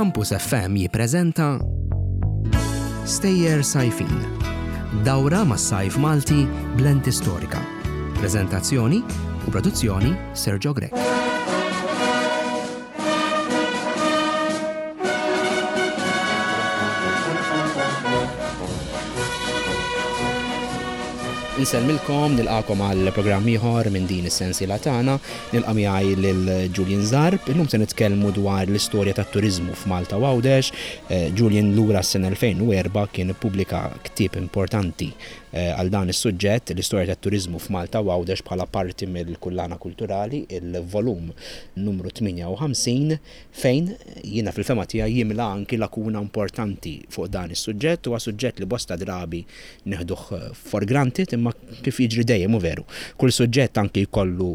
Campus FM jippreżenta Stejjer Sajfin. Dawra mas-sajf Malti b'lenti storika. Preżentazzjoni u produzzjoni Sergio Grech. Insellmilkom, nilqakom għal programm ieħor minn din is-sensiela tagħna. Nilqa' miegħi lil Julian Zarb. Illum se nitkellmu dwar l-istorja tat-turiżmu f'Malta u Għawdex. Eh, Julian lura s-sena 2004 kien ippubblika ktieb importanti eh, għal dan is-suġġett, l-istorja tat-turiżmu f'Malta u Għawdex bħala parti mill-kullana kulturali, il-volum numru 58, fejn jiena fil-fehma tiegħi jimla anki lakuna importanti fuq dan is-suġġett. Huwa suġġett li bosta drabi neħduh for granted imma kif jiġri dejjem hu veru. Kull suġġett anki jkollu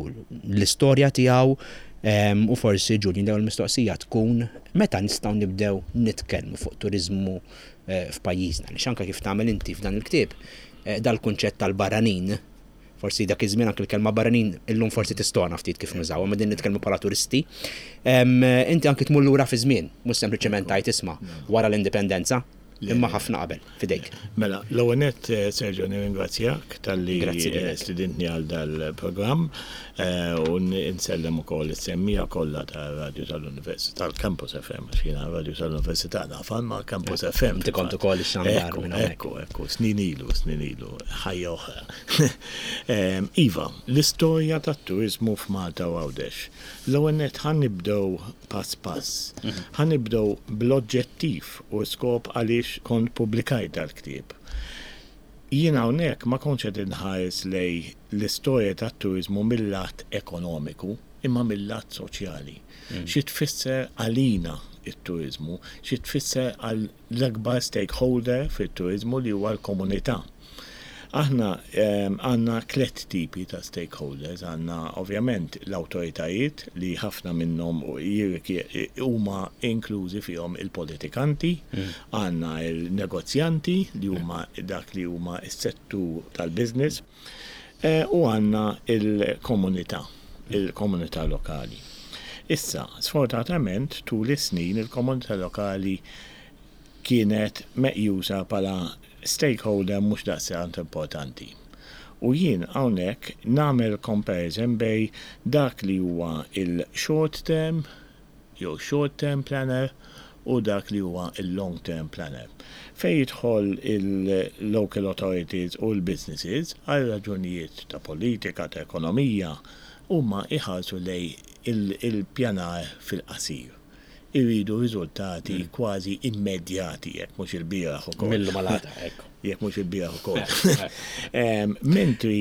l-istorja tiegħu u forsi Julian l-ewwel mistoqsija tkun meta nistgħu nibdew nitkellmu fuq turiżmu f'pajjiżna. Għaliex anke kif tagħmel inti f'dan il-ktieb dal-kunċett tal-barranin Forsi dak iż-żmien anke l-kelma barranin illum forsi tistona ftit kif nużawha, imma din nitkellmu bħala turisti. Inti anke tmur lura fiż-żmien, mhux sempliċement tgħid isma' wara l-indipendenza, imma ħafna qabel, f'idejk. Mela, l-ewwel nett Sergio nirringrazzjak talli stidintni għal dal-programm u nsellem ukoll is-semmiegħa kollha tar-radju tal-Università, tal-Campus FM, għax jiena r-radju tal-Università nafha, imma Campus FM. Inti kont ukoll ix-xandar minn hawnhekk. Ekku, ekku, snin ilu, snin ilu, ħajja oħra. Iva, l-istorja tat-turiżmu f'Malta u Għawdex. L-ewwel nett ħa nibdew pass pass. Ħa nibdew bl-oġġettiv u skop għaliex kont pubblikajt dal-ktieb. Jien hawnhekk ma kontx qed inħares lejn l-istorja tat-turiżmu mil-lat ekonomiku, imma mil-lat soċjali. Xi tfisser għalina t-turiżmu, xi tfisser għal l-akbar stakeholder fit-turiżmu li huwa l-komunità. Aħna għandna tlett tipi ta' stakeholders, għandna ovvjament l-awtoritajiet li ħafna minnhom huma inklużi fihom il-politikanti, għandna l-negozjanti li huma dak li huma s-settur tal-business u għandna l-komunità, il-komunità lokali. Issa, sfortunatament tul is-snin il-komunità lokali kienet meqjusa bħala stakeholder mhux daqstant importanti. U jien hawnhekk nagħmel comparison bejn dak li huwa il-short term jew short term planner u dak li huwa il-long term planner. Fejn jidħol il-local authorities u l-businesses għal raġunijiet ta' politika, ta' ekonomija, huma jħarsu lejn il-pjanar fil-qasir. iridu riżultati kważi immedjati, jekk mhux ilbieraħ ukoll. Mill-lum għal għada, ekku. Jekk mhux ilbieraħ ukoll. Mentri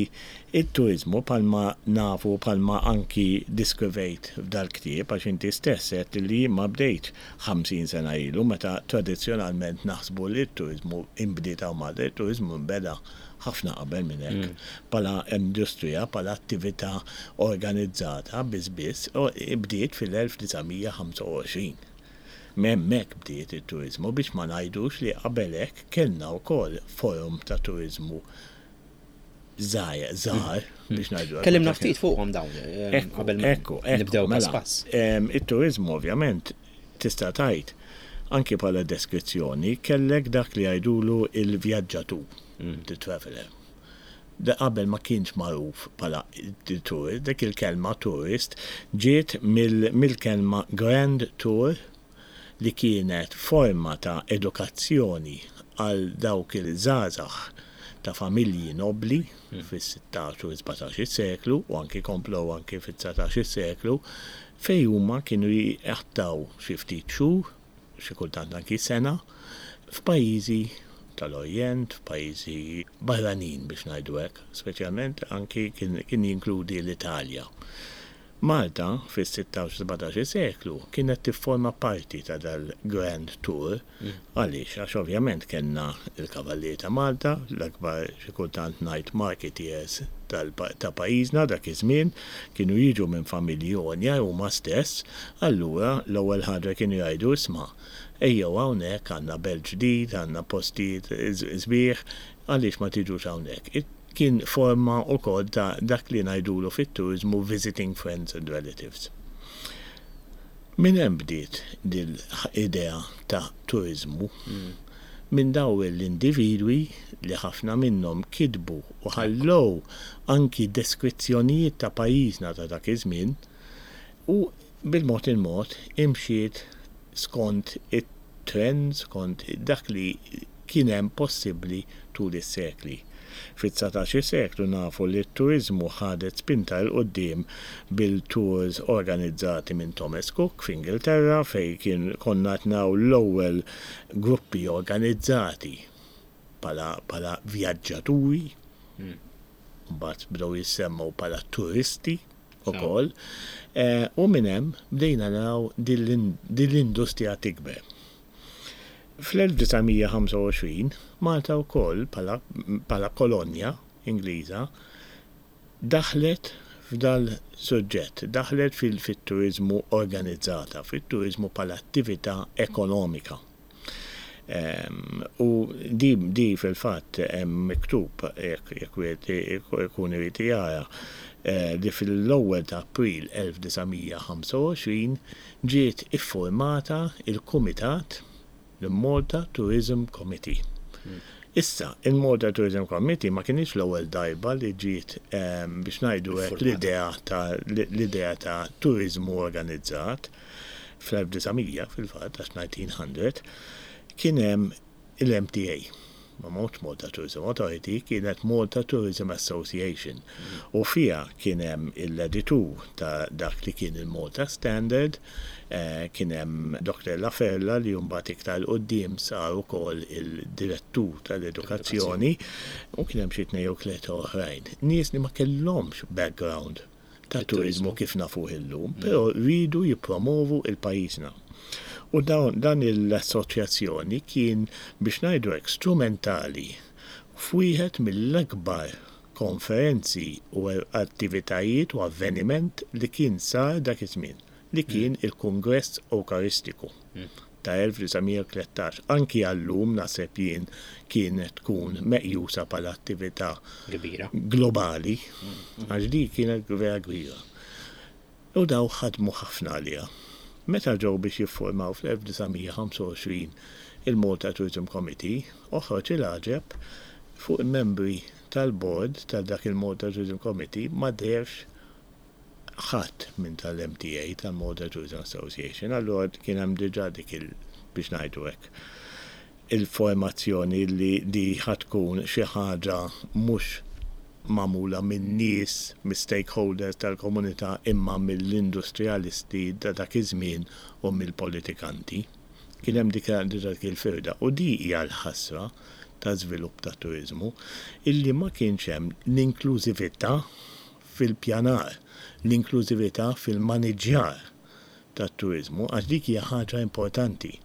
it-turiżmu bħalma nafu bħalma anki diskrivejt f'dal-ktieb għax inti stess għedt li jien ma bdejtx 50 sena ilu meta tradizzjonalment naħsbu li t-turiżmu inbdiet hawn Malta, it-turiżmu nbeda ħafna qabel minn hekk. Bħala industrija, bħala attività organizzata biss biss, bdiet fil-1925. M'hemmhekk bdiet it-turiżmu biex ma ngħidux li qabel hekk kellna wkoll forom ta' turiżmu żgħir, żgħar biex ngħidu hekk. Kellimna ftit fuqhom dawn qabel ma nibdew pass pass. It-turiżmu ovvjament tista' tgħid anki bħala deskrizzjoni kellek dak li jgħidulu l-vjaġġatur. The Traveller. Da qabel ma kienx magħruf bħala The Tourist, dik il-kelma tourist ġiet mill-kelma Grand Tour li kienet forma ta' edukazzjoni għal dawk il-żgħażagħ ta' familji nobbli fis-sittax u s-sbatax-il seklu u anki komplew anki fid-dsatax-il seklu fejn huma kienu jqattgħu xi ftit xhur xi kultant anki sena, f'pajjiżi tal-Orjent, f'pajjiżi barranin biex ngħidu hekk, speċjalment anki kien jinkludi l-Italja. Malta fis-sittax u sbatax-il seklu kienet tifforma parti ta' dal-Grand Tour. Għaliex? Għax ovvjament kellna l-Kavallieri ta' Malta, l-akbar xi kultant ngħid marketeers ta' pajjiżna dak iż-żmien, kienu jiġu minn familji għonja huma stess, allura l-ewwel ħaġa kienu jgħidu isma' ejjew hawnhekk għandna belt ġdid, għandna postijiet sbieħ, għaliex ma tiġux hawnhekk. Kien forma wkoll ta' dak li ngħidulu fit-turiżmu visiting friends and relatives. Minn hemm bdiet dil-idea ta' turiżmu. Minn dawn l-individwi li ħafna minnhom kitbu u ħallew anki deskrizzjonijiet ta' pajjiżna ta' dak iż-żmien u bil-mod il-mod imxiet skont it-trend, skont dak li kien hemm possibbli tul is-sekli. Fit-dsatax-il seklu nafu li t-turiżmu ħadet spinta 'l quddiem bil-tours organizzati minn Thomas Cook f'Ingilterra fejn kien konna qed naraw l-ewwel gruppi organizzati bħala bħala vjaġġaturi, mbagħad bdew jissemmew bħala turisti ukoll, u minn hemm bdejna naraw din l-industrija tikber. Fl-1925, Malta wkoll bħala bħala kolonja Ingliża daħlet f'dal-suġġett, daħlet fit-turiżmu organizzata, fit-turiżmu bħala attività ekonomika. U di di fil-fatt hemm miktub jekk jekk wieħed ikun irid jara li fil-ewwel ta' April 1925 ġiet iffurmata il-kumitat, l-Malta Tourism Committee. Issa, il-Malta Tourism Committee ma kinitx l-ewwel darba li ġiet biex ngħidu hekk l-idea ta' l-idea ta' turiżmu organizzat. Fl-1900 fil-fatt, għax 1900, kien hemm il-MTA, ma mhux Malta Tourism Authority, kienet Malta Tourism Association u fiha kien hemm l-editur ta' dak li kien il-Malta Standard, kien hemm Dr. Laferla li mbagħad iktar 'il quddiem sar ukoll il-direttur tal-edukazzjoni u kien hemm xi tnejn jew tlieta oħrajn. Nies li ma kellhomx background ta' turiżmu kif nafuh illum, però riedu jippromovu il-pajjiżna. U dawn dan l-assoċjazzjoni kien biex ngħidu hekk strumentali f'wieħed mill-akbar konferenzi u attivitajiet u avveniment li kien sar dak iż-żmien, li kien il-Kungress Ewkaristiku ta' 1913. Anki għal-lum naħseb jien kienet tkun meqjusa bħala attività Kbira. globali, għax di kienet vera kbira. U daw ħadmu ħafna għaliha. Meta ġew biex jiffurmaw fl-1925 il-Malta Tourism Committee, oħroġ il-għaġeb fuq il-membri tal-board ta' dak il-Malta Tourism Committee ma deherx ħadd minn tal-MTA, tal-Malta Tourism Association, allura kien hemm diġà dik il, biex ngħidu hekk, il-formazzjoni li di ħa tkun xi ħaġa mhux magħmula min-nies, mis-stakeholders tal-komunità imma mill-industrijalisti ta' dak iż-żmien u mill-politikanti. Kien hemm dik diġà dik il-firda u di hija l-ħasra ta' żvilupp tat-turiżmu illi ma kienx hemm l-inklużività fil-pjanar, l-inklużività fil-maniġġjar tat-turiżmu għax dik hija ħaġa importanti.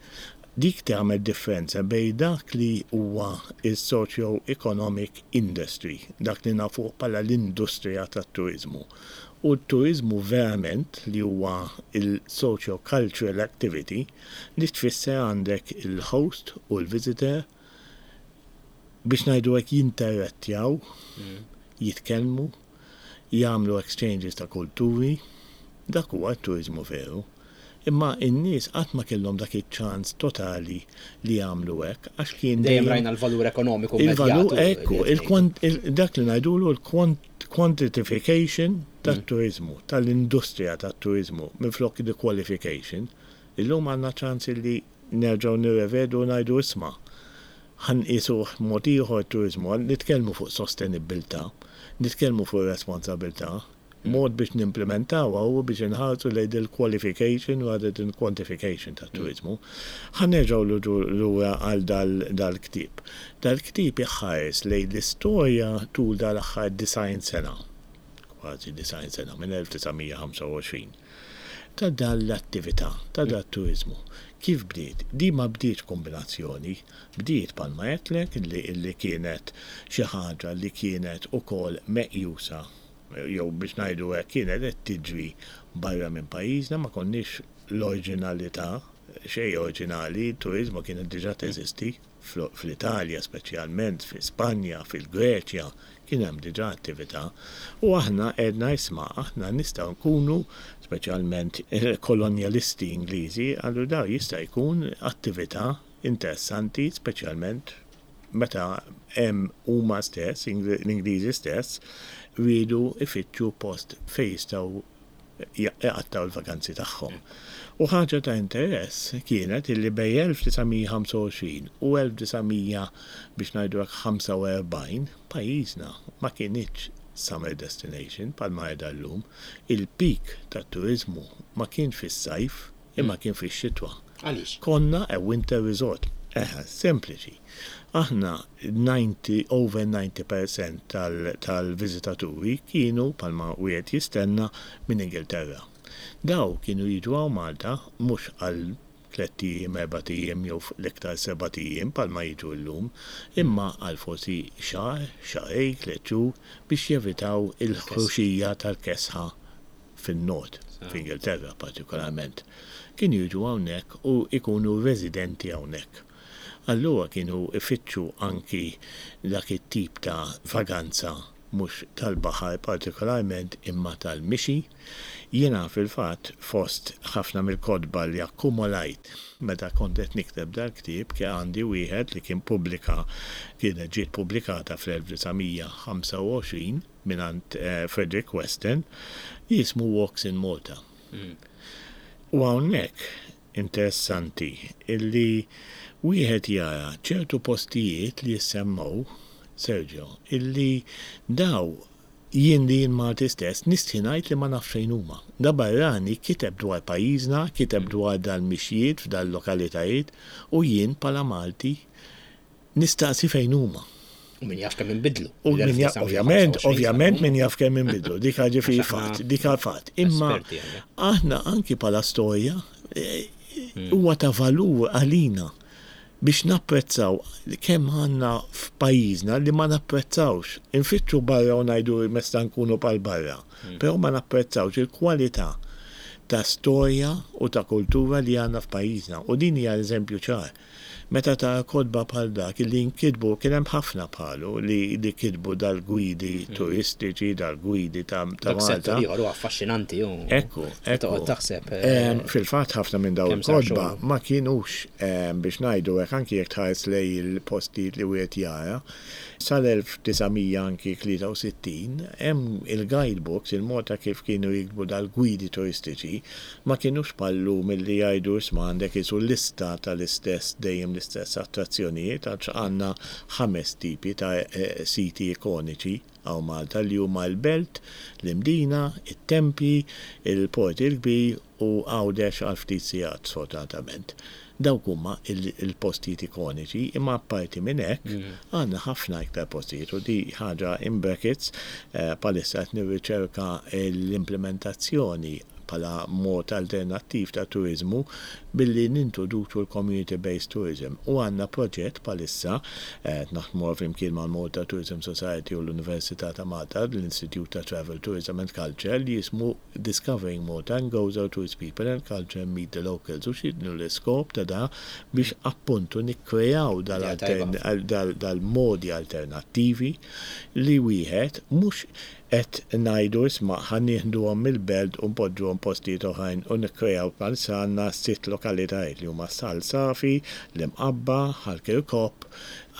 Dik tagħmel differenza bejn dak li huwa s-socio-economic industry, dak li nafuh bħala l-industrija tat-turiżmu, u t-turiżmu verament li huwa l-socio-cultural activity li tfisser għandek il-host u l-visitor biex ngħidu hekk jinterattjaw, jitkellmu, jagħmlu exchanges ta' kulturi, dak huwa t-turiżmu veru. Imma n-nies qatt ma kellhom dak iċ-ċans totali li jagħmlu hekk għax kien Dejjem rajna l-valur ekonomiku Il-valur ekku, dak li ngħidulu l-quantification tat-turiżmu, tal-industrija tat-turiżmu minflok the qualification. Illum għandna ċans li nerġgħu nirrevedu u ngħidu isma' ħa nqisuh mod ieħor t-turiżmu, nitkellmu fuq sostenibbiltà, nitkellmu fuq responsabilità, mod biex nimplementawha huwa biex inħarsu lejn il-qualification rather than quantification tat-turiżmu. Ħa nerġgħu lura għal dal-ktieb. Dal-ktieb iħares lejn l-istorja tul dal-aħħar 90 sena, kważi 90 sena, minn 1925, ta' dan l-attività, ta' dat-turiżmu. Kif bdiet? Di ma bdietx kombinazzjoni, bdiet bħalma għedtlek li kienet xi ħaġa li kienet ukoll meqjusa jew biex ngħidu hekk kienet qed tiġri barra minn pajjiżna, ma konniex l-oriġinalità. Xejn oriġinali, turiżmu kienet diġà teżisti fl-Italja speċjalment, fi Spanja, fil-Greċja, kien hemm diġà attività. U aħna għedna isma' aħna nistgħu nkunu, speċjalment il-kolonjalisti Ingliżi, qalu daw jista' jkun attività interessanti speċjalment meta hemm huma stess, l-Ingliżi stess, riedu jfittxu post fejn jistgħu jqattgħu l-vaganzi tagħhom. U ħaġa ta' interess kienet illi bejn 1925 u 1900 biex ngħidu hekk 45 pajjiżna ma kinitx summer destination bħalma qiegħda llum. Il-peak tat-turiżmu ma kienx fis-sajf imma kien fix-xitwa. Għaliex? Konna a winter resort. Eħe, sempliċi. Aħna 90, over 90% tal-viżitaturi kienu, bħalma wieħed jistenna, minn Ingilterra. Daw kienu jiġu hawn Malta mhux għal tlett ijiem, erbat ijiem jew l-iktar sebat ijiem bħalma jiġu llum, imma għal forsi xahar, xahrejn, tliet xhur biex jevitaw il-ħruxija tal-kesħa fin-Nord, f'Ingilterra partikolarment, kienu jiġu hawnhekk u jkunu residenti hawnhekk. Allura kienu jfittxu anki dak it-tip ta' vaganza mhux tal-baħar partikolarment imma tal-mixi. Jiena fil-fatt fost ħafna mill-kotba li akkumulajt meta kont qed nikteb dal-ktieb kien għandi wieħed li kien pubblika kienet ġiet pubblikata fl-1925 mingħand Frederick Weston li jismu Walks in Malta. U hawnhekk interessanti illi wieħed jara ċertu postijiet li jissemmew, Sergio, illi daw jien li jien Malti stess nistħi ngħid li ma nafx fejn huma. Da barrani kiteb dwar pajjiżna, kiteb dwar dal-mixjiet f'dal-lokalitajiet u jien bħala Malti nistaqsi fejn huma. U min jaf kemm inbidlu. U min jaf, ovvjament, ovvjament min jaf kemm inbidlu, dik ġifieri fatt, dik fatt. Imma aħna anki bħala storja eh, hmm. huwa ta' valur għalina biex napprezzaw kemm għandna f'pajjiżna li ma napprezzawx. Infittxu barra u ngħidu mesta nkunu pal barra, hmm. però ma napprezzawx il-kwalità ta' storja u ta' kultura li għandna f'pajjiżna. U din hija eżempju ċar. Meta tara kotba bħal dak li nkitbu, kien hemm ħafna bħalu li li kitbu dal-gwidi turistiċi, dal-gwidi ta' ta' Dak Malta. settur ieħor huwa affaxxinanti u Ekku, meta ekku. toqgħod taħseb Fil-fatt ħafna minn dawn kemm sar il-kotba xogħol. ma kinux biex ngħidu hekk anki jekk tħares lejn il-postijiet li wieħed jara, sal-1900 anki 63 hemm il-guidebooks, il-mod ta' kif kienu jiktbu dal-gwidi turistiċi, Ma kinux bħal-lum illi jgħidu isma' għandek qisu lista tal-istess dejjem l-istess attrazzjonijiet għax għandna ħames tipi ta' siti ikoniċi hawn Malta li huma l-Belt, l-Imdina, it-Tempji, il-Port il-Kbir u Għawdex għal ftit sigħat sfortunatament. Dawk huma l-postijiet ikoniċi imma apparti minn hekk għandna ħafna iktar postijiet u di ħaġa in brackets bħalissa qed nirriċerka l-implimentazzjoni bħala mod alternattiv ta' turiżmu billi nintroduċu l-community based tourism u għandna proġett bħalissa qed naħdmuha flimkien mal-Malta Tourism Society u l-Università ta' Malta, l-Institute ta' Travel, Tourism and Culture li jismu Discovering Malta and Gozo to its People and Culture and Meet the Locals u x'inhu l-iskop ta' da biex appuntu nikkreaw dal-modi alternattivi li wieħed mhux Qed ngħidu isma' ħa nieħduhom mill-belt u npoġġuhom postijiet oħrajn u nikkreaw bħalissa għandna sitt lokalitajiet li huma Sal Safi, l-Imqabba, Ħal Kirkop,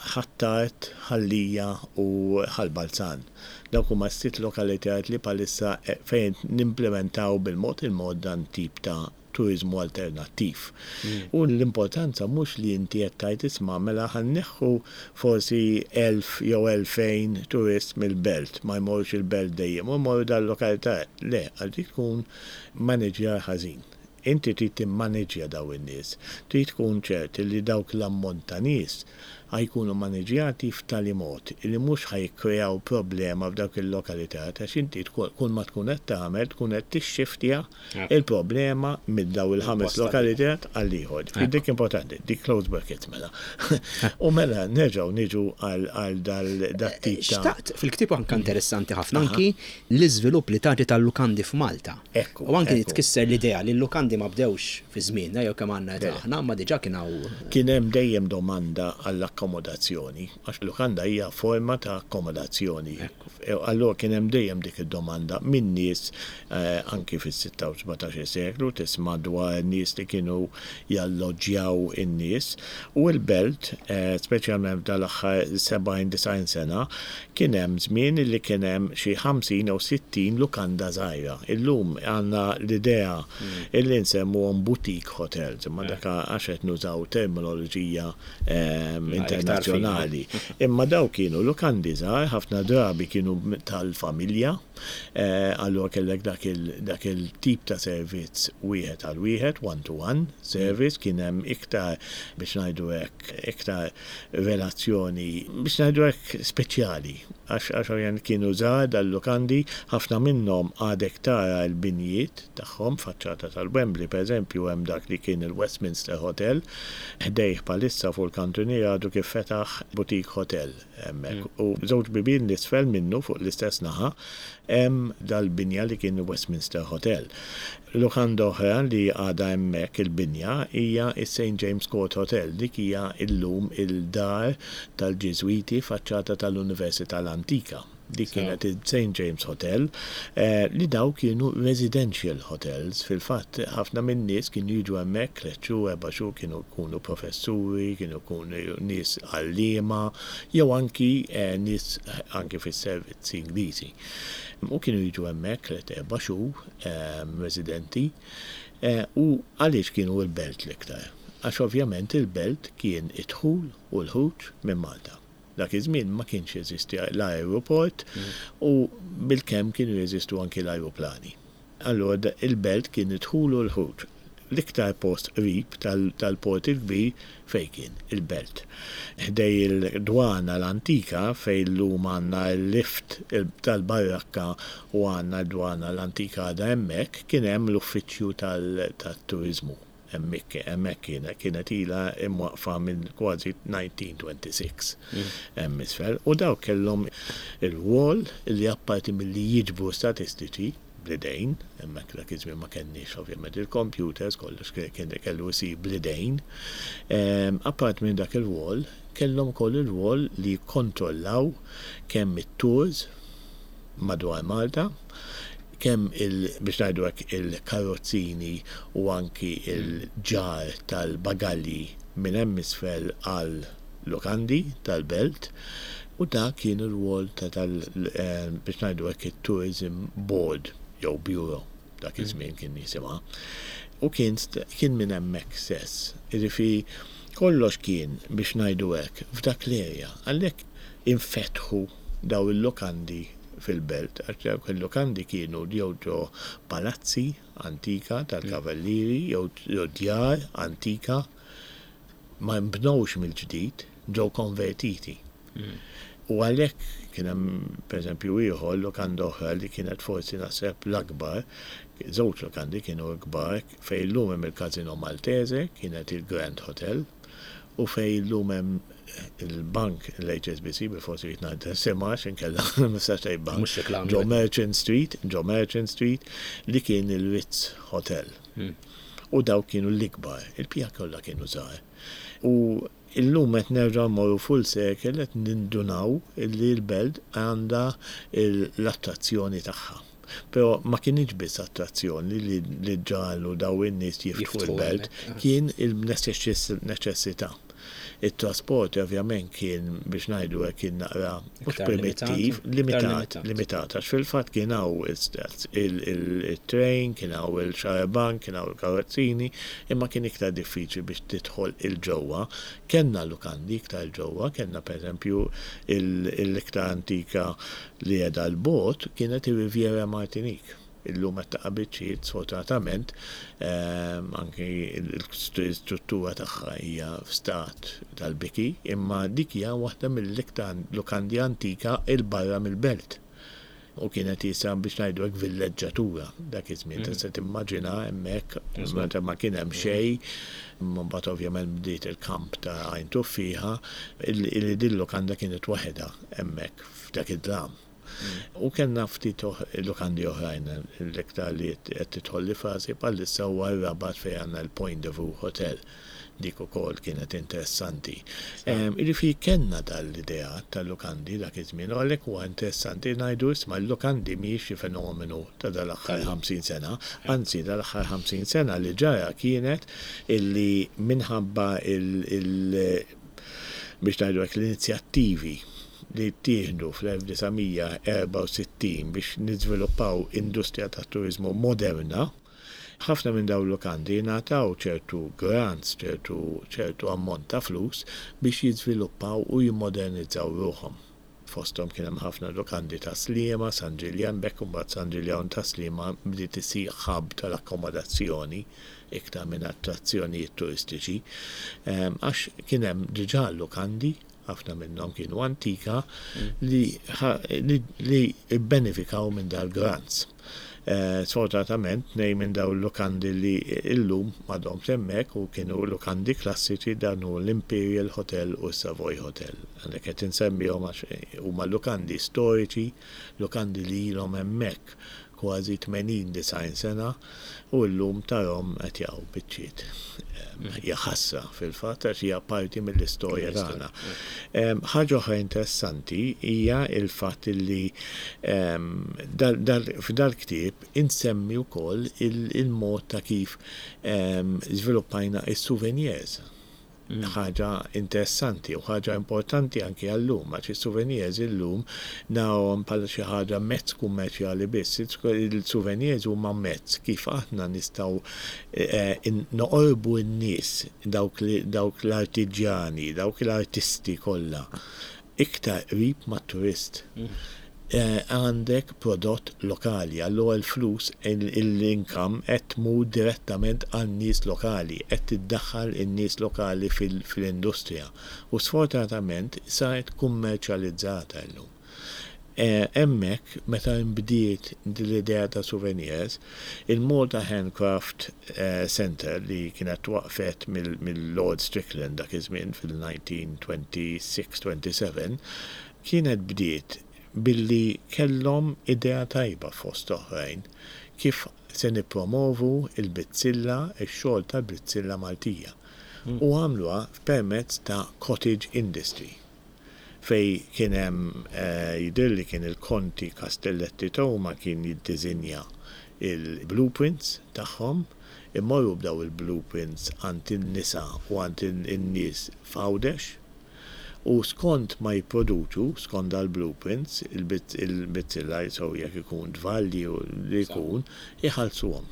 Ħ'Attard, Ħal Lija u Ħal Balzan. Dawk huma s-sitt lokalitajiet li bħalissa fejn nimplimentaw bil-mod il-mod dan tip ta' turiżmu alternattiv. U l-importanza mhux li inti qed tgħid isma' mela ħa nneħħu forsi 1000 jew 2000 turist mill-belt, ma jmorrux il-belt dejjem u jmorru dal-lokalità. Le, għax dik tkun maniġjar ħażin. Inti trid timmaniġġja dawn in-nies. Trid tkun ċert li dawk l-ammont ta' nies. Ħa jkunu maniġjati f'tali mod li mhux ħa jikkreaw problema f'dawk il-lokalitat għax inti kull ma tkun qed tagħmel tkun qed tixxiftja il-problema minn dawn il-ħames lokalitat għal ieħor. Dik importanti, dik close brackets mela. U mela nerġgħu niġu għal dat-tip ta'. Xtaqt, fil-ktieb anke interessanti ħafna anki l-iżvilupp li tagħti tal-lukandi f'Malta. Ekku. U anki tkisser l-idea li l-lukandi ma bdewx fi żmienna jew kemm għandna età aħna, imma diġà kien hawn. Kien hemm dejjem domanda għall-akkomodazzjoni, għax lukanda hija forma ta' akkomodazzjoni. Allura kien hemm dejjem dik id-domanda minn nies anki fis-sitta u 17-il seklu tisma' dwar nies li kienu jalloġġjaw in-nies. U l-belt, speċjalment f'dal-aħħar 70, 90 sena, Kien hemm żmien li kien hemm xi 50 jew 60 lukanda żgħira. Illum għandna l-idea illi nsemmuhom boutique hotels, imma dak għax qed nużaw terminoloġija internazzjonali. Imma dawk kienu lukandi żgħar, ħafna drabi kienu tal-familja, allura kellek dak il-tip ta' servizz wieħed għal wieħed, one to one service, kien hemm iktar, biex ngħidu hekk, iktar relazzjoni, biex ngħidu hekk, speċjali, għax għax ovvjament kienu żgħar dal-lukandi, ħafna minnhom għadek tara l-binjiet tagħhom, faċċata tal-Wembley pereżempju hemm dak li kien il-Westminster Hotel, ħdejh bħalissa fuq il-kantuniera għadu kif fetaħ boutique hotel hemmhekk u żewġ bibien 'l isfel minnu fuq l-istess naħa hemm dal-binja li kien il-Westminster Hotel. Lukanda oħra li għadha hemmhekk il-binja hija s-Saint James Court Hotel. Dik hija llum il-dar tal-Ġiżwiti faċċata tal-Università l-Antika. Dik kienet il-Saint James Hotel li dawk kienu residential hotels. Fil-fatt ħafna min-nies kienu jiġu hemmhekk tliet xhur, erba' xhur, kienu jkunu professuri, kienu jkunu nies għalliema jew anki nies anki fis-servizzi Ingliżi. U kienu jiġu hemmhekk tliet erba' xhur residenti u għaliex kienu l-belt l-iktar? Għax ovvjament il-belt kien id-dħul u l-ħruġ minn Malta. Dak iż-żmien ma kienx jeżisti l-ajruport u bilkemm kienu jeżistu anki l-ajruplani. Allura il-belt kien id-dħul u l-ħruġ. L-iktar post qrib tal-Port il-Kbir fejn kien? Il-Belt. Ħdej il-Dwana l-Antika fejn llum għandna l-lift tal-Barrakka u għandna d-Dwana l-Antika għadha hemmhekk, kien hemm l-uffiċċju tat-turiżmu. Hemmhekk hemmhekk kienet kienet ilha imwaqqfa minn kważi 1926 hemm isfel. U dawk kellhom ir-rwol li apparti milli jiġbru statistiċi, bl-idejn, hemmhekk dak iż-żmien ma kenniex ovvjament il-computers, kollox kien kellu jsir bl-idejn. Apart minn dak ir-rwol, kellhom ukoll ir-rwol li jikkontrollaw kemm it-tours madwar Malta, kemm il, biex ngħidu hekk, il-karrozzini u anki l-ġarr tal-bagalji minn hemm isfel għal lukandi tal-belt u dak kien ir-rwol ta' tal biex ngħidu hekk it-Tourism Board jew Bureau dak iż-żmien kien jisimha u kien kien minn hemmhekk stess. Jiġifieri kollox kien biex ngħidu hekk f'dak l-area. Għalhekk infetħu dawn il-lukandi fil-belt għax dawk il-lukandi kienu jew ġo palazzi antika tal-kavallieri jew ġo djar antika ma nbnewx mill-ġdid, ġew konvertiti. U għalhekk kien hemm pereżempju ieħor lukanda oħra li kienet forsi naħseb l-akbar, żewġ lukandi kienu kbar, fejn illum hemm il-Casino Maltese, kienet il-Grand Hotel, u fejn illum hemm il-bank l-HSBC, bil-forsi rrid ngħid isimha għax inkella ma nistax ngħid bank. Mhux reklam. Ġo Merchant Street, ġo Merchant Street, li kien il-Ritz Hotel. U dawk kienu l-ikbar, il-bqija kollha kienu żgħar. U illum qed nerġgħu mmorru full circle qed nindunaw illi l-belt għandha l-attrazzjoni tagħha. Però ma kinitx biss attrazzjoni li ġagħlu dawn in-nies jiftħu l-belt, kien il-neċessità. It-trasport ovvjament kien, biex ngħidu hekk, kien naqra mhux primittiv, limitat, limitat, għax fil-fatt kien hawn it-train, kien hawn il-xarabank, kien hawn il-karozzini, imma kien iktar diffiċli biex tidħol 'il ġewwa. Kellna lukandi iktar 'il ġewwa, kellna pereżempju l-iktar antika li qiegħda 'l bogħod kienet ir-Riviera Martinique. Illum qed taqa' biċċiet sfortunatament, anki l-istruttura tagħha hija f'stat tal-biki, imma dik hija waħda mill-iktar lukandi antika 'il barra mill-belt. U kienet qisha biex ngħidu hekk villeġġatura dak iż-żmien. Tista' timmaġina hemmhekk meta ma kien hemm xejn, mbagħad ovvjament bdiet il-kamp ta' Għajn Tuffieħa, li din lukanda kienet waħedha hemmhekk f'dak id-dlam. U kellna ftit lukandi oħrajn, l-iktar li qed tidħolli f'rasi bħalissa huwa r-Rabat fejn għandna l-Point de Vue Hotel. Dik ukoll kienet interessanti. Jiġifieri kellna dal-idea tal-lukandi dak iż-żmien u għalhekk huwa interessanti ngħidu isma' l-lukandi mhijiex xi fenomenu ta' dal-aħħar 50 sena, anzi dal-aħħar 50 sena li ġara kienet illi minħabba il biex ngħidu hekk l-inizjattivi li ttieħdu fl-1964 biex niżviluppaw industrija tat-turiżmu moderna, ħafna minn dawn il-lukandi ngħataw ċertu grants, ċertu ċertu ammont ta' flus biex jiżviluppaw u jimmodernizzaw ruħhom. Fosthom kien hemm ħafna lukandi ta' Sliema, San Ġiljan, b'hekk imbagħad San Ġiljan ta' Sliema bdiet issir hub tal-akkomodazzjoni iktar minn attrazzjonijiet turistiċi għax kien hemm diġà lukandi, ħafna minnhom kienu antika, li li bbenefikaw minn dal-grants. Sfortunatament tnejn minn dawn il-lukandi li llum m'għadhomx hemmhekk u kienu lukandi klassiċi dan hu l-Imperial Hotel u s-Savoy Hotel. Għalhekk qed insemmihom għax huma lukandi storiċi, lukandi li ilhom hemmhekk kważi 80, 90 sena u llum tarhom qed jaqgħu biċċiet. Hija ħasra fil-fatt għax hija parti mill-istorja tagħna. Ħaġa oħra interessanti hija l-fatt li f'dal-ktieb insemmi wkoll il-mod ta' kif żviluppajna s-souvenirs. Ħaġa interessanti u ħaġa importanti anki għal-lum, għax is-souvenirs illum narawhom bħala xi ħaġa mezz kummerċjali biss. Il-souvenirs huma mezz kif aħna nistgħu noqorbu n-nies, dawk l-artiġjani, dawk l-artisti kollha iktar qrib mat-turist. Għandek prodott lokali, allura l-flus, l-income qed tmur direttament għan-nies lokali, qed tiddaħħal in-nies lokali fl-industrija. U sfortunatament saret kummerċjalizzata illum. Hemmhekk meta nbdiet din l-idea ta' souvenirs, il-Malta Handcraft Centre li kienet twaqqfet mill-Lord Strickland dak iż-żmien fil-1926, 27, kienet bdiet billi kellhom idea tajba fost oħrajn kif se nippromovu l-bizzilla, ix-xogħol tal-bizzilla Maltija u għamluha permezz ta' cottage industry. Fejn kien hemm jidhirli kien il-Konti Castelletti Toma kien jiddiżinja l-blueprints tagħhom, imorru b'daw il-blueprints għand in-nisa u għand in-nies f'Għawdex u skont ma jipproduċu, skont dal-blueprints, il-bizzilla sew jekk ikun tvalli u li jkun, iħallsuhom.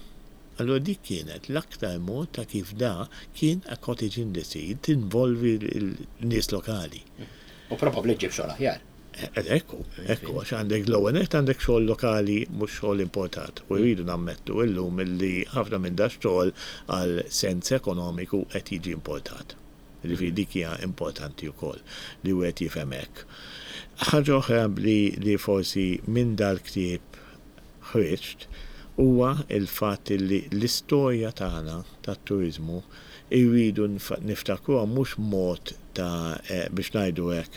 Allura dik kienet l-aktar mod ta' kif da kien a cottage industry, tinvolvi l-nies lokali. U probabbli ġġib xogħol aħjar. Ekku, ekku, għax għandek l-ewwel nett għandek xogħol lokali mhux xogħol importat. U rridu nammettu illum illi ħafna minn da xogħol għal sens ekonomiku qed jiġi importat. Jiġifieri dik hija importanti wkoll li wieħed jifhem hekk. Ħaġa oħra li forsi minn dal-ktieb ħriġt huwa l-fatt li l-istorja tagħna tat-turiżmu rridu niftakruha mhux mod ta' biex ngħidu hekk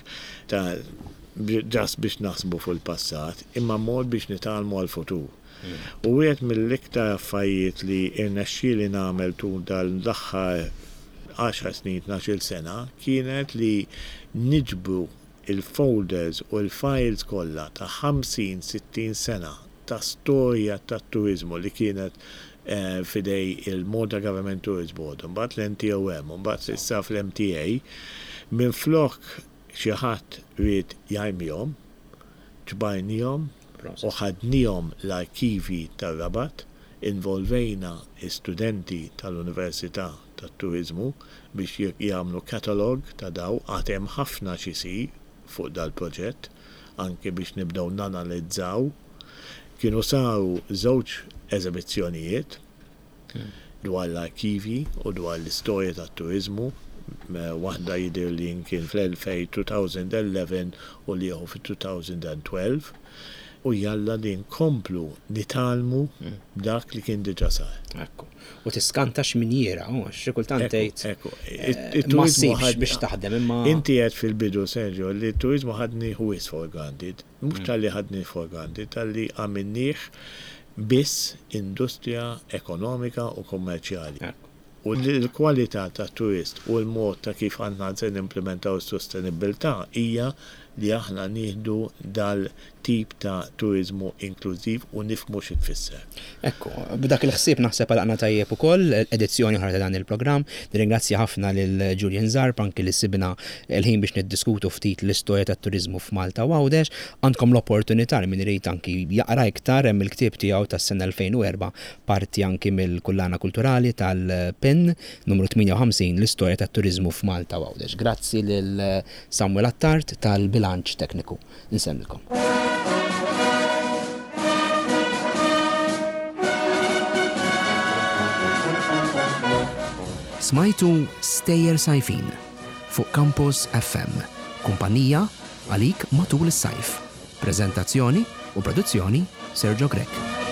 ta' just biex naħsbu fuq il-passat imma mod biex nitgħallmu għall-futur. U wieħed mill-iktar affarijiet li rnexxieli nagħmel tul dan l-aħħar għaxar snin, tnax-il sena kienet li niġbru il-folders u l-files kollha ta' 50, 60 sena ta' storja tat-turiżmu li kienet f'idej il-Malta Government Tourist Board, imbagħad l-NTOM, u mbagħad issa fl-MTA, minflok xi ħadd ried jarmihom, ġbarnihom u ħadnihom l-arkivji tar-Rabat, involvejna studenti tal-Università tat-Turiżmu biex jagħmlu catalogue ta' daw, għad hemm ħafna x'isir fuq dal-proġett, anke biex nibdew nanalizzaw. Kienu saru żewġ eżebizzjonijiet dwar l-arkivji u dwar l-istorja tat-turiżmu, waħda jidhirli kien fl-2011 u l-ieħor fit-2012, u jalla li nkomplu nitgħallmu b'dak li kien diġà sar. Ekku. U tiskanta x'minjiera, u għax xi kultant tgħid. Ekku, ma ssibx biex taħdem imma. Inti għedt fil-bidu, Sergio, li t-turiżmu ħadnih wisq for granted. Mhux talli ħadnih for granted, talli għamilnih biss industrija ekonomika u kummerċjali. U l-kwalità tat-turist u l-mod ta' kif aħna se nimplimentaw is-sostenibbiltà hija li aħna nieħdu dal-tip ta' turiżmu inklużiv u nifhmu xi tfisser. Ekku, b'dak il-ħsieb naħseb għalaqna tajjeb ukoll edizzjoni oħra ta' dan il-programm. Nirringrazzja ħafna lil Julian Zarb anki li sibna l-ħin biex niddiskutu ftit l-istorja tat-turiżmu f'Malta u Għawdex. Għandkom l-opportunità li min irid anki jaqra iktar hemm il-ktieb tiegħu tas-sena 2004 parti anki mill-kullana kulturali tal-PIN numru 58 l-istorja tat-turiżmu f'Malta u Għawdex. Grazzi lil Samuel Attard tal-bilanċ tekniku. Insellmilkom. Smajtu Stejjer Sajfin fuq Campus FM, kumpanija għalik matul is-sajf. Preżentazzjoni u produzzjoni Sergio Grech.